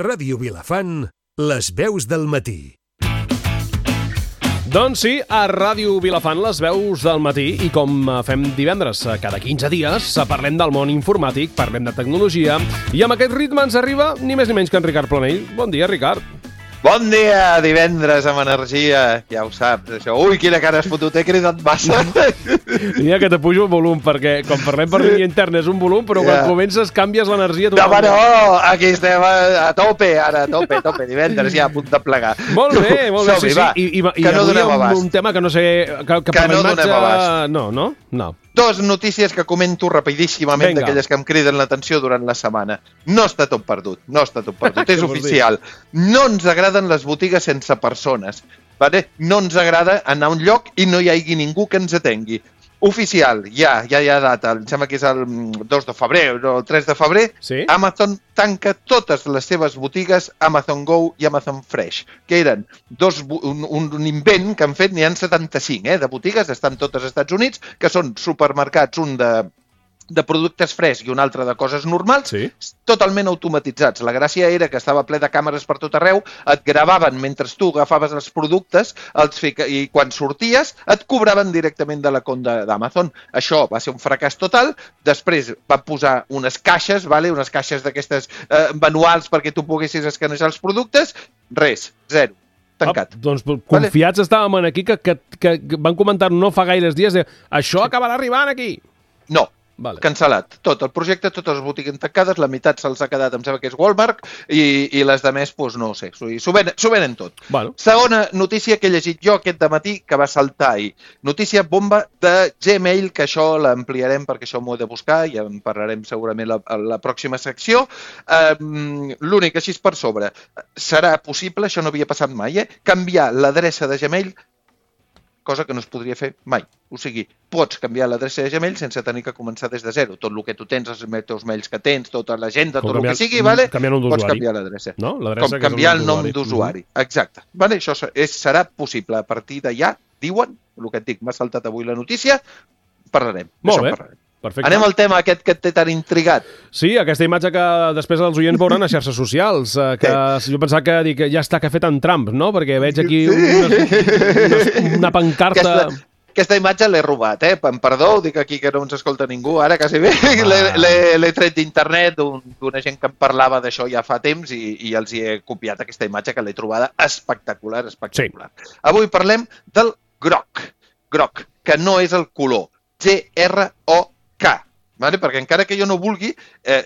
Ràdio Vilafant, les veus del matí. Doncs sí, a Ràdio Vilafant, les veus del matí, i com fem divendres cada 15 dies, parlem del món informàtic, parlem de tecnologia, i amb aquest ritme ens arriba ni més ni menys que en Ricard Planell. Bon dia, Ricard. Bon dia, divendres amb energia, ja ho saps, això. Ui, quina cara has fotut, he cridat massa. Mira que te pujo el volum, perquè quan parlem per línia interna és un volum, però quan comences canvies l'energia. No, no, aquí estem a tope, ara, a tope, divendres, ja a punt de plegar. Molt bé, sí. I no donem abast. Un tema que no sé... Que no donem abast. No. Dos notícies que comento rapidíssimament, d'aquelles que em criden l'atenció durant la setmana. No està tot perdut, és oficial. No ens agraden les botigues sense persones. Vale? No ens agrada anar a un lloc i no hi hagi ningú que ens atengui. Oficial, ja hi ha data, em sembla que és el 2 de febrer o el 3 de febrer, sí? Amazon tanca totes les seves botigues Amazon Go i Amazon Fresh, que eren un invent que han fet, n'hi ha 75 de botigues, estan totes als Estats Units, que són supermercats, un de productes fresc i un altre de coses normals, sí? Totalment automatitzats. La gràcia era que estava ple de càmeres per tot arreu, et gravaven mentre tu agafaves els productes i quan sorties et cobraven directament de la compte d'Amazon. Això va ser un fracàs total. Després van posar unes caixes, unes caixes d'aquestes manuals perquè tu poguessis escanejar els productes. Res, zero. Tancat. Doncs confiats estàvem aquí que van comentar no fa gaires dies això acabarà arribant aquí. No. Cancel·lat. Tot el projecte, totes les botigues tancades, la meitat se'ls ha quedat, em sembla que és Walmart, i les de més, doncs no ho sé, s'ho venen tot. Segona notícia que he llegit jo aquest dematí, que va saltar ahir. Notícia bomba de Gmail, que això l'ampliarem perquè això m'ho he de buscar, i en parlarem segurament a la pròxima secció. L'únic, així per sobre, serà possible, això no havia passat mai, canviar l'adreça de Gmail, cosa que no es podria fer mai. O sigui, pots canviar l'adreça de Gmail sense tenir que començar des de zero. Tot el que tu tens, els teus mails que tens, tota l'agenda, tot el que sigui, pots canviar l'adreça. Com canviar el nom d'usuari. Exacte. Això serà possible. A partir d'allà, diuen, el que et dic, m'ha saltat avui la notícia, parlarem. Molt bé. Perfecte. Anem al tema aquest que et té tan intrigat. Sí, aquesta imatge que després els oients veuran a xarxes socials, que jo pensava que ja està que ha fet en Trump, no? Perquè veig aquí una pancarta... Aquesta imatge l'he robat, perdó, dic aquí que no ens escolta ningú, ara quasi bé. L'he tret d'internet d'una gent que em parlava d'això ja fa temps i els hi he copiat aquesta imatge que l'he trobada espectacular. Avui parlem del groc, que no és el color, GROK. Perquè encara que jo no vulgui,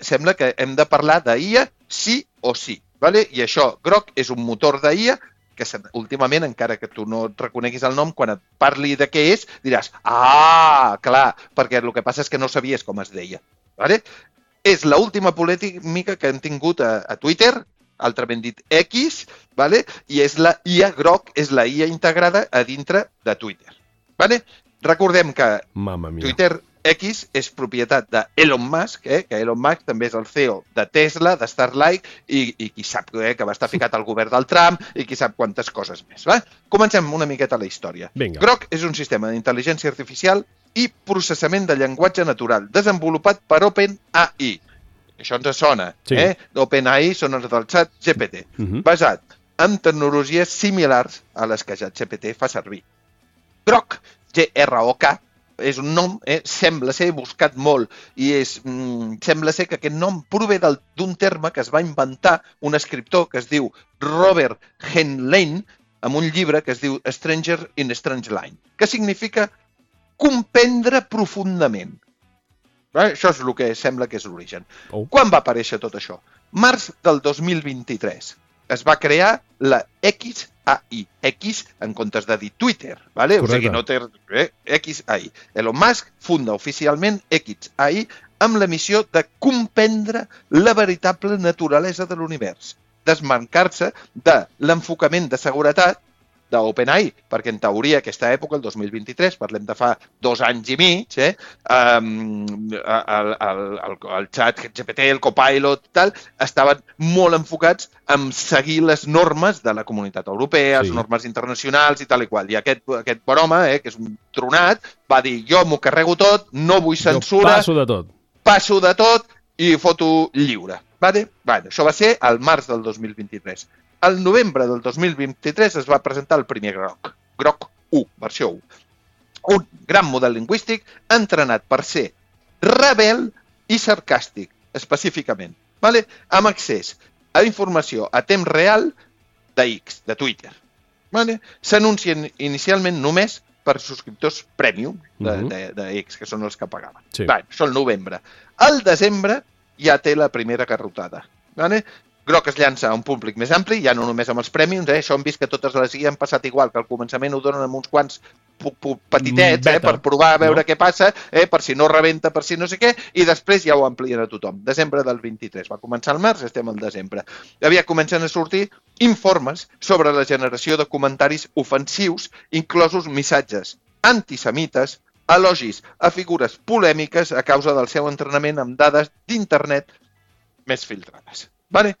sembla que hem de parlar d'IA sí o sí. I això, groc, és un motor d'IA que últimament, encara que tu no et reconeguis el nom, quan et parli de què és, diràs, clar, perquè el que passa és que no sabies com es deia. És l'última polèmica que han tingut a Twitter, altrament dit X, i és la IA groc, és la IA integrada a dintre de Twitter. Recordem que Twitter X és propietat d'Elon Musk, que Elon Musk també és el CEO de Tesla, de Starlink, i qui sap que va estar ficat al govern del Trump, i qui sap quantes coses més. Comencem una miqueta la història. Grok és un sistema d'intel·ligència artificial i processament de llenguatge natural, desenvolupat per OpenAI. Això ens sona, OpenAI són els del xat GPT, basat en tecnologies similars a les que ChatGPT fa servir. Grok, GROK, és un nom, sembla ser buscat molt, i sembla ser que aquest nom prové d'un terme que es va inventar un escriptor que es diu Robert Heinlein amb un llibre que es diu Stranger in Strange Land, que significa comprendre profundament. Això és el que sembla que és l'origen. Quan va aparèixer tot això? Març del 2023. Es va crear la XAI. X en comptes de dir Twitter, o sigui, no té XAI. Elon Musk funda oficialment XAI amb la missió de comprendre la veritable naturalesa de l'univers, desmarcar-se de l'enfocament de seguretat d'OpenAI, perquè en teoria aquesta època, el 2023, parlem de fa 2 anys i mig, el xat GPT, el Copilot, estaven molt enfocats en seguir les normes de la comunitat europea, les normes internacionals i tal i qual. I aquest bon home, que és un tronat, va dir, jo m'ho carrego tot, no vull censura, passo de tot i foto lliure. Vale? Bueno, això va ser al març del 2023. Al novembre del 2023 es va presentar el primer Grok. Grok 1, versió 1. Un gran model lingüístic entrenat per ser rebel i sarcàstic, específicament. Vale? Amb accés a informació a temps real de X, de Twitter. Vale? S'anuncien inicialment només per subscriptors premium de X, que són els que pagaven. Sí. Vale, això el novembre. Al desembre ja té la primera garrotada. Vale? Grok es llança a un públic més ampli, ja no només amb els premiums, això hem vist que totes les guies han passat igual, que al començament ho donen amb uns quants petitets, per provar a veure què passa, per si no rebenta, per si no sé què, i després ja ho amplien a tothom. Desembre del 23. Va començar al març, estem al desembre. Comencen a sortir informes sobre la generació de comentaris ofensius, inclosos missatges antisemites, elogis a figures polèmiques a causa del seu entrenament amb dades d'internet més filtrades. Vale?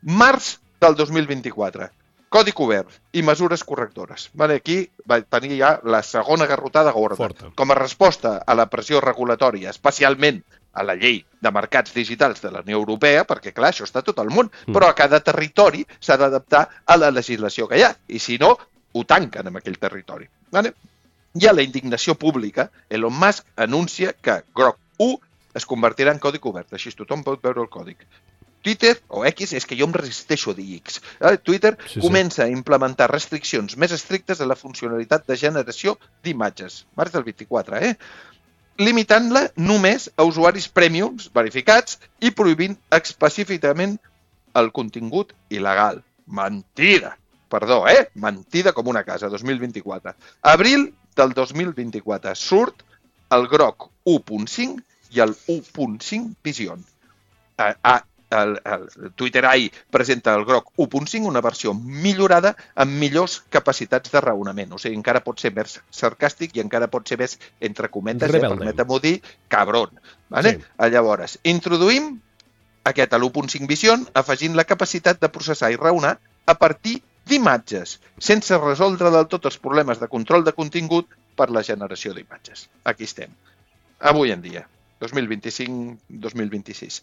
Març del 2024. Codi obert i mesures correctores. Vale? Aquí va tenir ja la segona garrotada gorda. Forta. Com a resposta a la pressió regulatòria, especialment a la llei de mercats digitals de la Unió Europea, perquè clar, això està a tot el món, però a cada territori s'ha d'adaptar a la legislació que hi ha, i si no, ho tanquen en aquell territori. Vale? I a la indignació pública, Elon Musk anuncia que Grok 1 es convertirà en codi obert, així tothom pot veure el còdic. Twitter, o X, és que jo em resisteixo a dir X. Twitter comença a implementar restriccions més estrictes a la funcionalitat de generació d'imatges. Març del 24, limitant-la només a usuaris premiums verificats i prohibint específicament el contingut il·legal. Mentida! Perdó, mentida com una casa, 2024. Abril del 2024 surt el Grok 1.5 i el 1.5 Vision. El Twitter AI presenta el Grok 1.5, una versió millorada amb millors capacitats de raonament. O sigui, encara pot ser més sarcàstic i encara pot ser més, entre cometes, permetem-ho dir, cabron. Vale? Sí. Llavors, introduïm aquest a l'1.5 Vision afegint la capacitat de processar i raonar a partir d'imatges, sense resoldre del tot els problemes de control de contingut per la generació d'imatges. Aquí estem. Avui en dia, 2025-2026.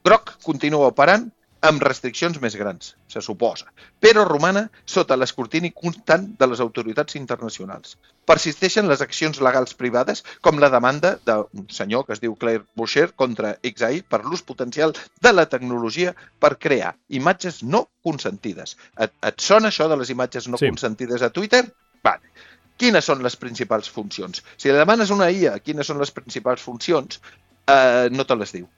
Grok continua operant amb restriccions més grans, se suposa, però romana sota l'escrutini constant de les autoritats internacionals. Persisteixen les accions legals privades, com la demanda d'un senyor que es diu Claire Boucher contra XAI per l'ús potencial de la tecnologia per crear imatges no consentides. Et sona això de les imatges no consentides a Twitter? Vale. Quines són les principals funcions? Si la demanes una IA, quines són les principals funcions, no te les diu.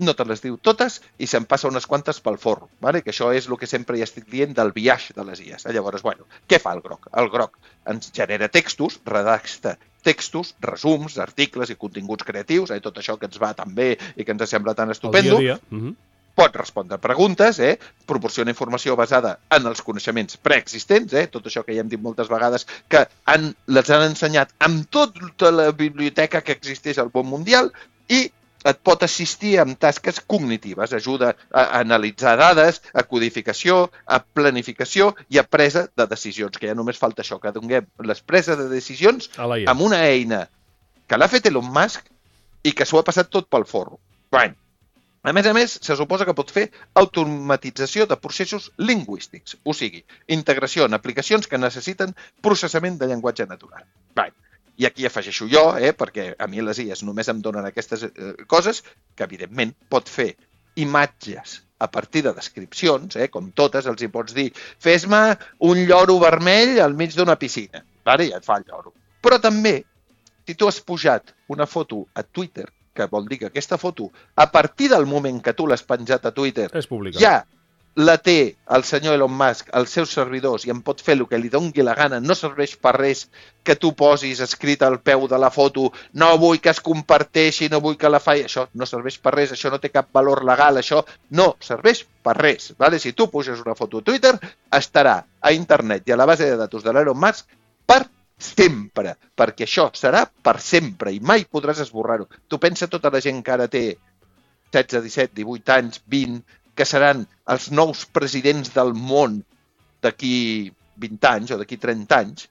No te les diu totes i se'n passa unes quantes pel forro, vale? Que això és el que sempre ja estic dient del biaix de les IAs. Llavors, què fa el Grok? El Grok ens genera textos, redacta textos, resums, articles i continguts creatius, tot això que ens va tan bé i que ens sembla tan estupendo. El dia a dia. Pot respondre preguntes, proporciona informació basada en els coneixements preexistents, tot això que ja hem dit moltes vegades, que les han ensenyat amb tota la biblioteca que existeix al món mundial i et pot assistir amb tasques cognitives, ajuda a analitzar dades, a codificació, a planificació i a presa de decisions, que ja només falta això, que donem les preses de decisions amb una eina que l'ha fet Elon Musk i que s'ho ha passat tot pel forro. A més, se suposa que pot fer automatització de processos lingüístics, o sigui, integració en aplicacions que necessiten processament de llenguatge natural. I aquí afegeixo jo, perquè a mi les IAs només em donen aquestes coses, que evidentment pot fer imatges a partir de descripcions, com totes, els hi pots dir, fes-me un lloro vermell al mig d'una piscina. I et fa el lloro. Però també, si tu has pujat una foto a Twitter, que vol dir que aquesta foto, a partir del moment que tu l'has penjat a Twitter, ja la té el senyor Elon Musk als seus servidors i en pot fer el que li doni la gana, no serveix per res que tu posis escrit al peu de la foto, no vull que es comparteixi, no vull que la faci, això no serveix per res, això no té cap valor legal, això no serveix per res. Si tu puges una foto a Twitter, estarà a internet i a la base de datos de l'Elon Musk per sempre, perquè això serà per sempre i mai podràs esborrar-ho. Tu pensa tota la gent que ara té 16, 17, 18 anys, 20, que seran els nous presidents del món d'aquí 20 anys o d'aquí 30 anys,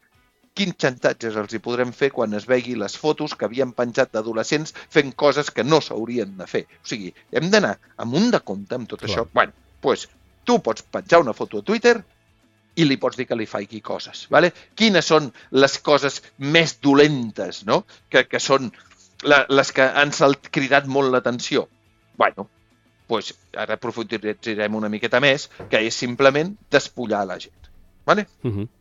quins xantatges els hi podrem fer quan es vegi les fotos que havien penjat d'adolescents fent coses que no s'haurien de fer. O sigui, hem d'anar amunt de compte amb tot això. Bueno, doncs tu pots penjar una foto a Twitter i li pots dir que li faci coses. Vale? Quines són les coses més dolentes, no? Que són les que han cridat molt l'atenció? Bueno, doncs ara aprofundirem una miqueta més, que és simplement despullar la gent. Vale?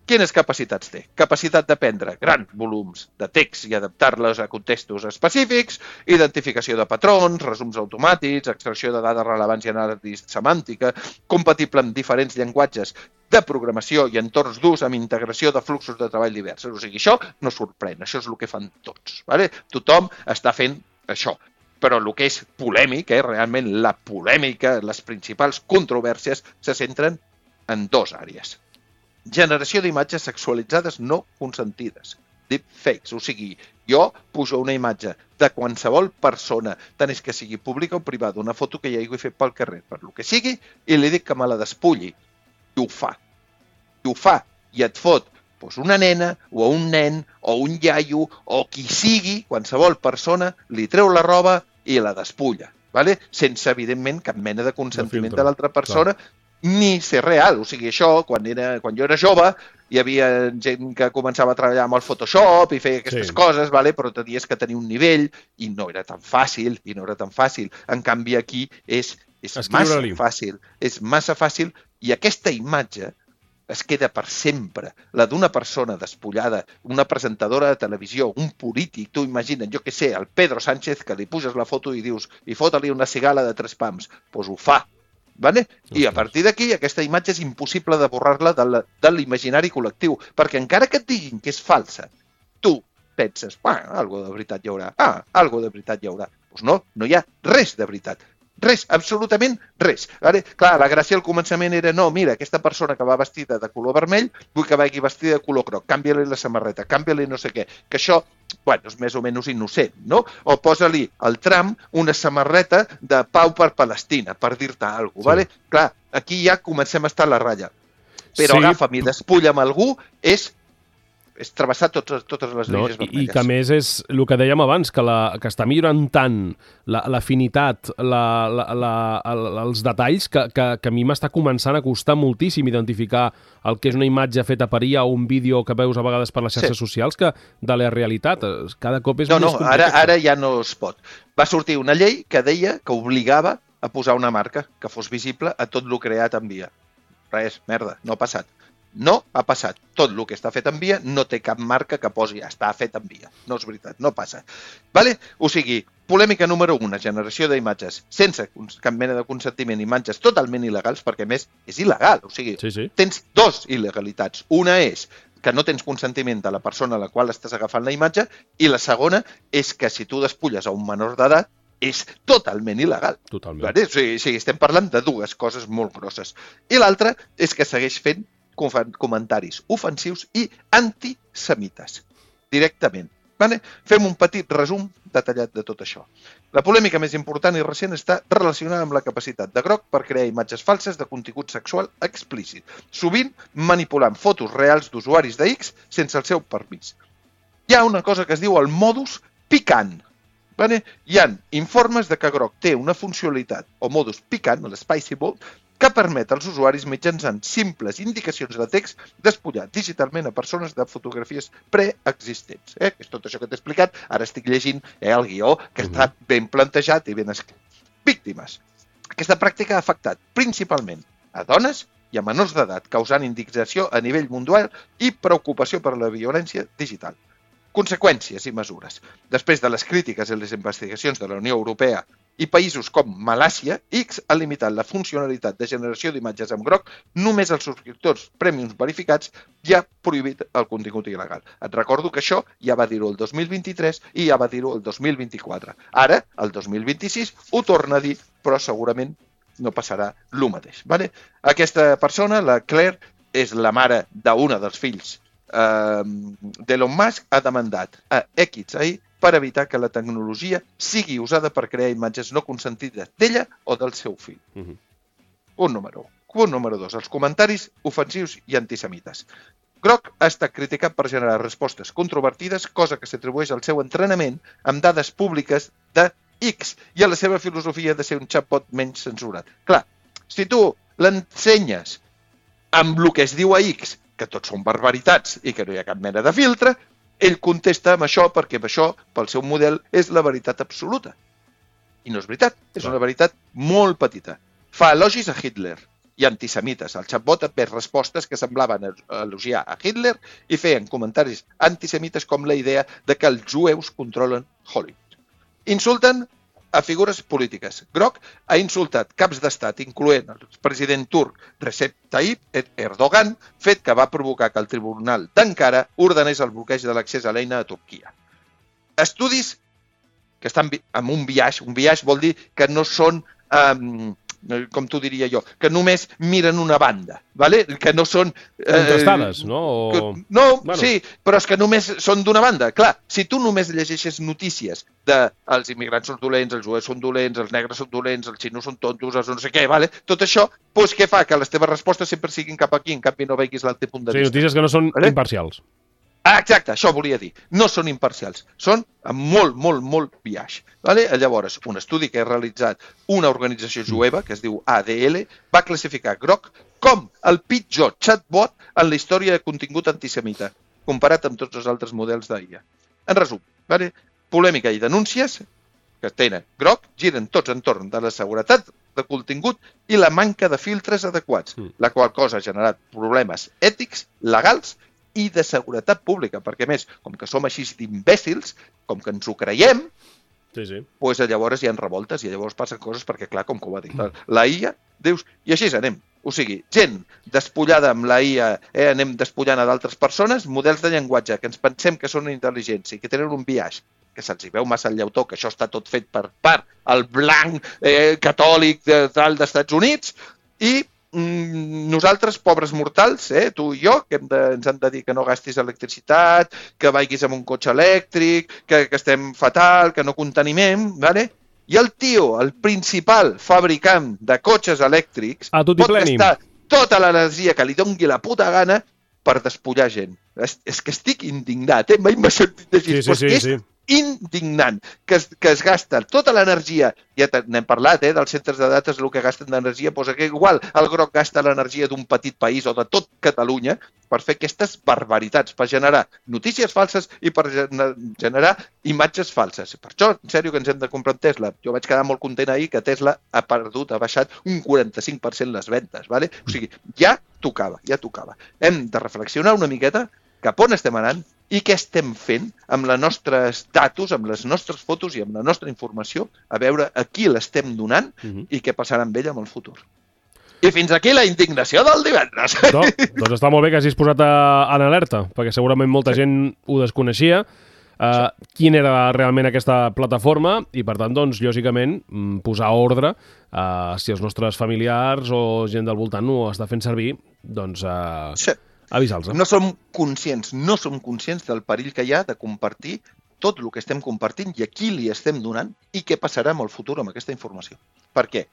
Quines capacitats té? Capacitat de prendre grans volums de text i adaptar-los a contextos específics, identificació de patrons, resums automàtics, extracció de dades rellevants i anàlisi semàntica, compatible amb diferents llenguatges de programació i entorns d'ús amb integració de fluxos de treball diversos. O sigui, això no sorprèn, això és el que fan tots. Vale? Tothom està fent això. Però el que és polèmic, realment la polèmica, les principals controvèrsies se centren en dues àrees. Generació d'imatges sexualitzades no consentides, deepfakes. O sigui, jo pujo una imatge de qualsevol persona, tant és que sigui pública o privada, una foto que ja hagi fet pel carrer, per lo que sigui, i li dic que me la despulli. I ho fa. I et fot una nena, o un nen, o un iaio, o qui sigui, qualsevol persona, li treu la roba i la despulla. Vale? Sense, evidentment, cap mena de consentiment de l'altra persona, ni ser real. O sigui, això, quan jo era jove, hi havia gent que començava a treballar amb el Photoshop i feia aquestes coses, vale? Però tenies que tenir un nivell i no era tan fàcil, En canvi, aquí és massa fàcil. És massa fàcil i aquesta imatge es queda per sempre. La d'una persona despullada, una presentadora de televisió, un polític, tu imagina't, jo què sé, el Pedro Sánchez, que li puges la foto i dius i fota-li una cigala de 3 pams. Doncs ho fa. Vale? I a partir d'aquí aquesta imatge és impossible de borrar-la de l'imaginari col·lectiu, perquè encara que et diguin que és falsa, tu penses, algo de veritat hi haurà, algo de veritat hi haurà. Doncs no hi ha res de veritat. Res, absolutament res. Vale? Clar, la gràcia al començament era, no, mira, aquesta persona que va vestida de color vermell, vull que vagi vestida de color groc, canvia-li la samarreta, canvia-li no sé què, que això, és més o menys innocent, no? O posa-li al Trump una samarreta de pau per Palestina, per dir-te alguna cosa, vale? Clar, aquí ja comencem a estar a la ratlla. Però agafa'm i despulla'm algú és travessar totes les línies vermelles. I que a més és el que dèiem abans, que està millorant tant l'afinitat, els detalls, que a mi m'està començant a costar moltíssim identificar el que és una imatge feta per IA o un vídeo que veus a vegades per les xarxes socials que de la realitat. Cada cop és més complicat. Ara ja no es pot. Va sortir una llei que deia que obligava a posar una marca que fos visible a tot el creat en via. Res, merda, no ha passat. No ha passat. Tot el que està fet en via no té cap marca que posi està fet en via. No és veritat, no passa. Vale? O sigui, polèmica número 1, generació d'imatges sense cap mena de consentiment, imatges totalment il·legals, perquè a més és il·legal. O sigui, tens dues il·legalitats. Una és que no tens consentiment de la persona a la qual estàs agafant la imatge i la segona és que si tu despulles a un menor d'edat és totalment il·legal. Totalment. Vale? O sigui, estem parlant de dues coses molt grosses. I l'altra és que segueix fent comentaris ofensius i antisemites, directament. Vale? Fem un petit resum detallat de tot això. La polèmica més important i recent està relacionada amb la capacitat de Grok per crear imatges falses de contingut sexual explícit, sovint manipulant fotos reals d'usuaris de X sense el seu permís. Hi ha una cosa que es diu el modus picant. Vale? Hi ha informes de que Grok té una funcionalitat, o modus picant, l'spicy mode, que permet als usuaris mitjançant simples indicacions de text despullar digitalment a persones de fotografies preexistents. Que és tot això que t'he explicat. Ara estic llegint el guió que està ben plantejat i ben escrit. Víctimes. Aquesta pràctica ha afectat principalment a dones i a menors d'edat, causant indignació a nivell mundial i preocupació per la violència digital. Conseqüències i mesures. Després de les crítiques i les investigacions de la Unió Europea i països com Malàisia, X ha limitat la funcionalitat de generació d'imatges amb Grok només als subscriptors premiums verificats i ha prohibit el contingut il·legal. Et recordo que això ja va dir-ho el 2023 i ja va dir-ho el 2024. Ara, el 2026, ho torna a dir, però segurament no passarà el mateix. Vale? Aquesta persona, la Claire, és la mare d'una dels fills d'Elon Musk, ha demandat a XAI per evitar que la tecnologia sigui usada per crear imatges no consentides d'ella o del seu fill. Punt número 1. Punt número 2. Els comentaris ofensius i antisemites. Grok ha estat criticat per generar respostes controvertides, cosa que s'atribueix al seu entrenament amb dades públiques de X i a la seva filosofia de ser un chatbot menys censurat. Clar, si tu l'ensenyes amb el que es diu a X, que tots són barbaritats i que no hi ha cap mena de filtre, ell contesta amb això perquè això, pel seu model, és la veritat absoluta. I no és veritat, és una veritat molt petita. Fa elogis a Hitler i antisemites. El chatbot ha fet respostes que semblaven elogiar a Hitler i feien comentaris antisemites com la idea de que els jueus controlen Hollywood. Insulten a figures polítiques. Grok ha insultat caps d'estat, incloent el president turc Recep Tayyip Erdogan, fet que va provocar que el tribunal d'Ankara ordenés el bloqueig de l'accés a l'eina a Turquia. Estudis que estan amb un biaix vol dir que no són, com t'ho diria jo, que només miren una banda, ¿vale? Que no són... Contestades, no? No, bueno. Sí, però és que només són d'una banda. Clar, si tu només llegeixes notícies de els immigrants són dolents, els jueus són dolents, els negres són dolents, els xinos són tontos, els no sé què, ¿vale? Tot això, doncs què fa? Que les teves respostes sempre siguin cap aquí, en canvi no veguis l'altre punt de vista. Sí, notícies que no són imparcials. Exacte, això volia dir. No són imparcials, són amb molt biaix. Vale? Llavors, un estudi que ha realitzat una organització jueva, que es diu ADL, va classificar Grok com el pitjor chatbot en la història de contingut antisemita, comparat amb tots els altres models d'IA. En resum, vale? Polèmica i denúncies que tenen Grok giren tots entorn de la seguretat de contingut i la manca de filtres adequats, la qual cosa ha generat problemes ètics, legals i de seguretat pública, perquè a més, com que som així d'imbècils, com que ens ho creiem, doncs llavors hi ha revoltes i llavors passen coses perquè, clar, com que ho va dir la IA, dius, i així anem. O sigui, gent despullada amb la IA, anem despullant a d'altres persones, models de llenguatge que ens pensem que són intel·ligents i que tenen un biaix, que se'ls veu massa el llautó, que això està tot fet per part el blanc catòlic dels Estats Units, i nosaltres, pobres mortals, tu i jo, que ens han de dir que no gastis electricitat, que vagis amb un cotxe elèctric, que estem fatal, que no contenimem, ¿vale? I el tio, el principal fabricant de cotxes elèctrics, pot gastar tota l'energia que li doni la puta gana per despullar gent. És que estic indignat, mai m'ha sentit així. Sí. Indignant, que es gasta tota l'energia, ja n'hem parlat, dels centres de dates, el que gasten d'energia, doncs que igual el Grok gasta l'energia d'un petit país o de tot Catalunya per fer aquestes barbaritats, per generar notícies falses i per generar imatges falses. Per això, en sèrio, que ens hem de comprar un Tesla. Jo vaig quedar molt content ahir que Tesla ha baixat un 45% les ventes, ¿vale? O sigui, ja tocava. Hem de reflexionar una miqueta cap on estem anant i què estem fent amb els nostres datos, amb les nostres fotos i amb la nostra informació, a veure a qui l'estem donant i què passarà amb ella en el futur. I fins aquí la indignació del divendres. Doncs està molt bé que hagis posat en alerta, perquè segurament molta gent ho desconeixia, quin era realment aquesta plataforma i, per tant, doncs, lògicament, posar ordre si els nostres familiars o gent del voltant ho està fent servir, doncs... avisar-los. No som conscients del perill que hi ha de compartir tot el que estem compartint i a qui li estem donant i què passarà en el futur amb aquesta informació. Perquè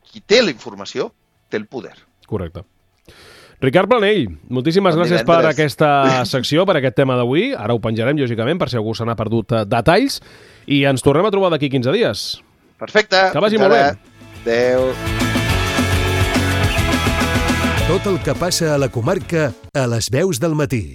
qui té la informació té el poder. Correcte. Ricard Planell, moltíssimes gràcies per aquesta secció, per aquest tema d'avui. Ara ho penjarem, lògicament, per si algú se n'ha perdut detalls. I ens tornem a trobar d'aquí 15 dies. Perfecte. Que vagi molt bé. Adéu. Tot el que passa a la comarca a les veus del matí.